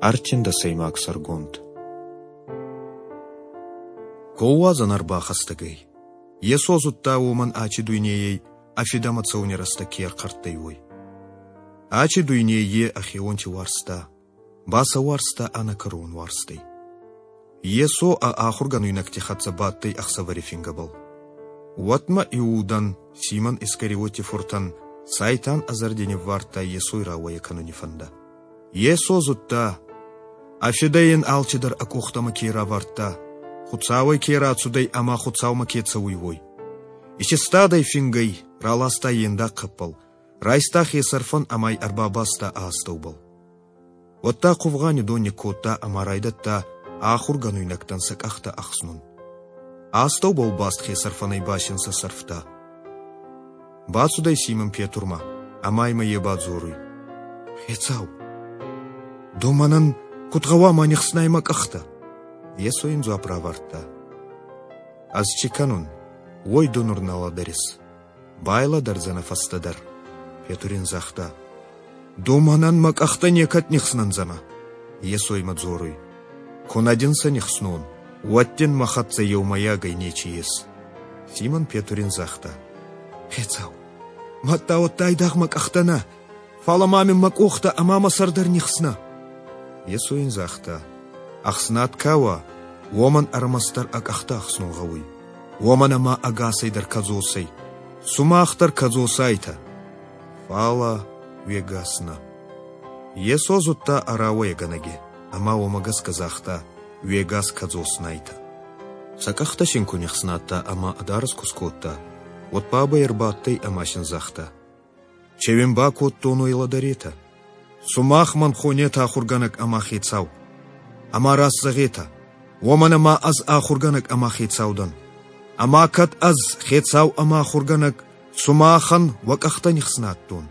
Ӕртиндӕсӕймаг сӕргонд. Колуадзӕн ӕрбахӕстӕг ӕй. Йесо зудта уомӕн ачи дуйнейӕй ӕ фидӕмӕ цӕуни рӕстӕг ке ӕрхъӕрттӕй, уой. Ачи дуйней е ӕхеуонти уарзта, ба сӕ уарзта ӕнӕкӕрон уарзтӕй. Йесо ӕ ахургӕнуйнӕгти хӕццӕ бадтӕй ӕхсӕвӕри фингӕбӕл. Уӕдмӕ Иудан, Симон Искариоти фуртӕн, Сайтан ӕ зӕрди ниввардта Йесой рауӕйӕ кӕнуни фӕндӕ. Йесо зудта, ӕ фидӕ ин алчидӕр ӕ къохтӕмӕ ке равардта, Хуцауӕй ке рацудӕй ӕма Хуцаумӕ ке цӕуй, уой. Исистадӕй фингӕй, раласта е ндаг хъӕппӕл, райста хесӕрфӕн ӕма ӕй ӕрбабаста ӕ астӕубӕл. Уӕдта хъувгъани дон никкодта ӕма райдӕдта ахургӕнуйнӕгтӕн сӕ къӕхтӕ ӕхснун. Астӕубӕл баст хесӕрфӕнӕй ба син сӕ сӕрфта. Бацудӕй Симон Петурмӕ ӕма имӕ е бадзоруй: «Хецау, ду мӕнӕн куд гъӕуама нихснай мӕ къӕхтӕ?» Йесо ин дзуапп равардта: «Ӕз ци кӕнун, уой ду нур нӕ лӕдӕрис. Байлӕдӕрдзӕнӕ фӕстӕдӕр». Петур ин загъта: «Ду мӕнӕн мӕ къӕхтӕ некӕд нихснӕндзӕнӕ». Йесо имӕ дзоруй: «Ку нӕ дин сӕ нихснон, уӕд дин мӕ хӕццӕ еумӕйагӕй нечи ес». Симон Петур ин загъта: «Хецау, мадта уӕдта айдагъ мӕ къӕхтӕ нӕ, фалӕ ма мин мӕ къохтӕ ӕма мӕ сӕр дӕр нихснӕ». Йесо ин загъта: «Ӕхснад ка уа, уомӕн ӕрмӕстдӕр ӕ къӕхтӕ ӕхснун гъӕуй, уомӕн ӕма ӕгасӕй дӕр кӕдзос ӕй. Сумах дӕр кӕдзос айтӕ, фалӕ уе гас нӕ». Йесо зудта ӕ рауӕйгӕнӕги ӕма уомӕ гӕсгӕ загъта: «Уе гас кӕдзос найтӕ». Сӕ къӕхтӕ син ку нихснадта ӕма ӕ дарӕс ку скодта, уӕд бабӕй ӕрбадтӕй ӕма син загъта: «Че уин бакодтон, уой лӕдӕретӕ? Сумах мӕн хонетӕ ахургӕнӕг ӕма хецау. Ӕма раст зӕгъетӕ, уомӕн ӕма ӕз ахургӕнӕг ӕма хецау дӕн. Ӕма кӕд ӕз хецау ӕма ахургӕнӕг сумахӕн уӕ къӕхтӕ нихснадтон,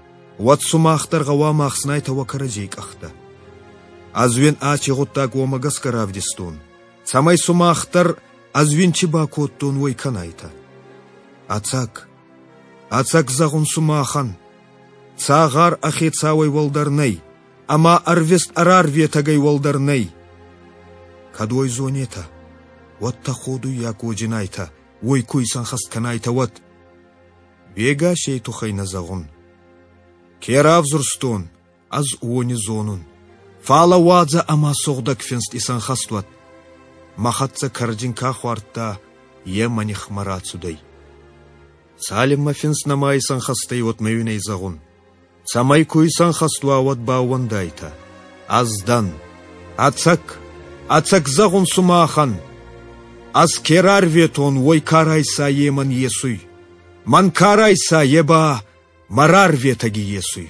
уӕд сумах дӕр гъӕуама ӕхснайтӕ уӕ кӕрӕдзей къӕхтӕ. Ӕз уин аци гъуддаг уомӕ гӕсгӕ равдистон, цӕмӕй сумах дӕр ӕз уин ци бакодтон, уой кӕнайтӕ. Ӕцӕг, ӕцӕг зӕгъун сумахӕн, цагъар ӕ хецауӕй уӕлдӕр нӕй, ӕма ӕрвист ӕрӕрветӕгӕй уӕлдӕр нӕй. Кӕд уой зонетӕ, уӕд тӕходуййаг уоджинайтӕ, уой ку исӕнхӕст кӕнайтӕ, уӕд. Вегасей туххӕй нӕ зӕгъун. Ке равзурстон, ӕз уони зонун. Фалӕ уадзӕ ӕма сугъдӕг финст исӕнхӕст уӕд. Мӕ хӕццӕ кӕрдзин ка хуардта, е мӕ нихмӕ рацудӕй. Цалинмӕ финст нӕма исӕнхӕст ӕй, уӕдмӕ уин ӕй зӕгъун. Цӕмӕй ку исӕнхӕст уа, уӕд баууӕндайтӕ. Ӕз дӕн. Ӕцӕг, ӕцӕг зӕгъун сумахӕн. Ӕз ке рарветон, уой ка райса, е мӕн есуй. Мӕн ка райса, е ба мӕ рарветӕги есуй.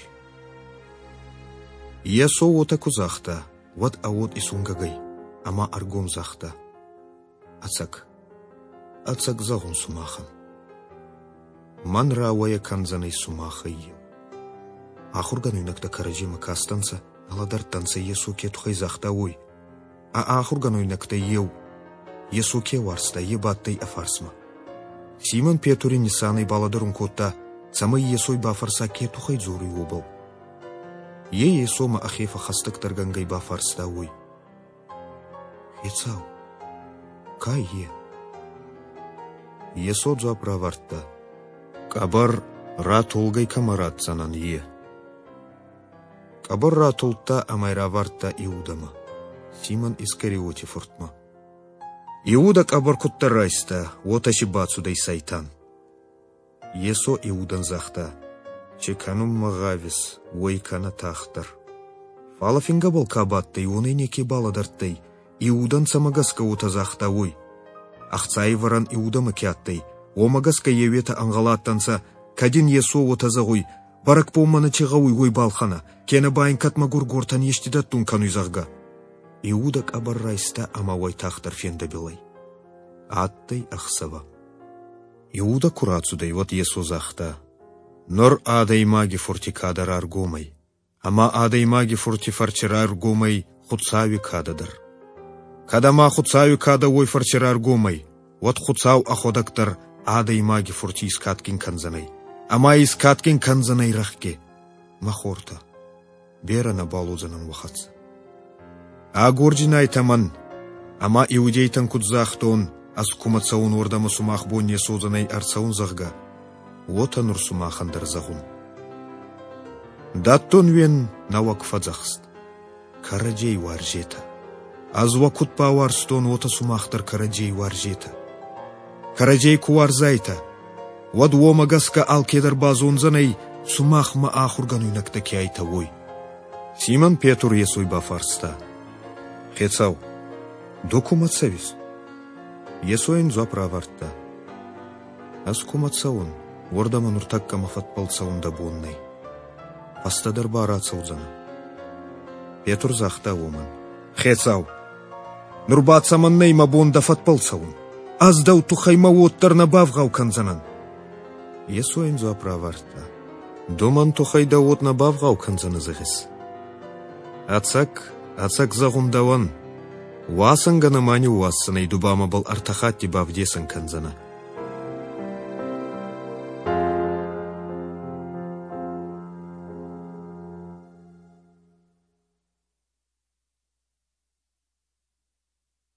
Йесо уотӕ ку загъта, уӕд ӕ уод исунгӕг ӕй ӕма ӕргом загъта: Ӕцӕг, ӕцӕг зӕгъун сумахӕн, мӕн рауӕйӕ кӕндзӕнӕй сумахӕй еу. Ахургӕнуйнӕгтӕ кӕрӕдземӕ кастӕнцӕ, лӕдӕрдтӕнцӕ Йесо ке туххӕй загъта, уой. Ӕ ахургӕнуйнӕгтӕй еу, Йесо ке уарзта, е бадтӕй ӕ фарсмӕ. Симон Петури нисанӕй балӕдӕрун кодта, цӕмӕй Йесой бафӕрса, ке туххӕй дзоруй, уобӕл. Е Йесомӕ ӕхе фӕххӕстӕгдӕргӕнгӕй бафарста уой: «Хецау, ка е?» Йесо дзуапп равардта: «Къӕбӕр ратолгӕй кӕмӕ ратдзӕнӕн, е». Къӕбӕр ратулдта ӕма равардта Иудӕмӕ, Симон Искариоти фуртмӕ. Иудӕ къӕбӕр куддӕр райста, уотӕ си бацудӕй сайтан. Йесо Иудӕн загъта: «Че кӕнунмӕ гъавис, уой кӕнӕ тагъддӕр». Фалӕ фингӕбӕл ка бадтӕй, уонӕй неке балӕдӕрдтӕй, Иудӕн цӕмӕ гӕсгӕ уотӕ загъта, уой. Ӕхцайвӕрӕн Иудӕмӕ ке адтӕй, уомӕ гӕсгӕ еуетӕ ӕнгъӕл адтӕнцӕ, кӕд ин Йесо уотӕ зӕгъуй, бӕрӕгбонмӕ нӕ чи гъӕуй, уой балхӕнӕ, кенӕ ба ин кӕд мӕгургортӕн ести дӕттун кӕнуй, зӕгъгӕ. Иудӕ къӕбӕр райста ӕма уайтагъддӕр фендӕбил ӕй. Адтӕй ӕхсӕвӕ. Иудӕ ку рацудӕй, уӕд Йесо загъта: «Нур адӕймаги фурти кадӕ раргом ӕй, ӕма адӕймаги фурти фӕрци раргом ӕй Хуцауи кадӕ дӕр. Кӕд ӕма Хуцауи кадӕ уой фӕрци раргом ӕй, уӕд Хуцау ӕхуӕдӕг дӕр адӕймаги фурти искадгин кӕндзӕнӕй, ӕма искадгин кӕндзӕнӕй рӕхги. Мӕ хортӕ, берӕ нӕбал уодзӕнӕн уӕ хӕццӕ. Агордзинайтӕ мӕн, ӕма иудейтӕн куд загътон, ӕз кумӕ цӕун, уордӕмӕ сумах бон не содзӕнӕй ӕрцӕун, зӕгъгӕ, уотӕ нур сумахӕн дӕр зӕгъун. Дӕттун уин нӕуӕг фӕдзӕхст: кӕрӕдзей уарзетӕ. Ӕз уӕ куд бауарзтон, уотӕ сумах дӕр кӕрӕдзей уарзетӕ. Кӕрӕдзей ку уарзайтӕ, уӕд уомӕ гӕсгӕ алкедӕр базондзӕнӕй, сумах мӕ ахургӕнуйнӕгтӕ ке айтӕ, уой. Симон Петр Йесой бафарста: Хецау, ду кумӕ цӕуис? Йесо ин дзуапп равардта: Ӕз кумӕ цӕун, уордӕмӕ нуртӕккӕ мӕ фӕдбӕл цӕун дӕ бон нӕй. Фӕстӕдӕр ба рацӕудзӕнӕ. Петр загъта уомӕн: Хецау, нур ба цӕмӕннӕй мӕ бон дӕ фӕдбӕл цӕун? Ӕз дӕу туххӕй мӕ уод дӕр нӕ бавгъау кӕндзӕнӕн. Йесо ин дзуапп равардта: Ду мӕн туххӕй дӕ уод нӕ бавгъау кӕндзӕнӕ, зӕгъис? Ӕцӕг, ӕцӕг зӕгъун дӕуӕн, уасӕнгӕ нӕма ниууадздзӕнӕй, ду ба мӕбӕл ӕртӕ хатти бавдесӕн кӕндзӕнӕ.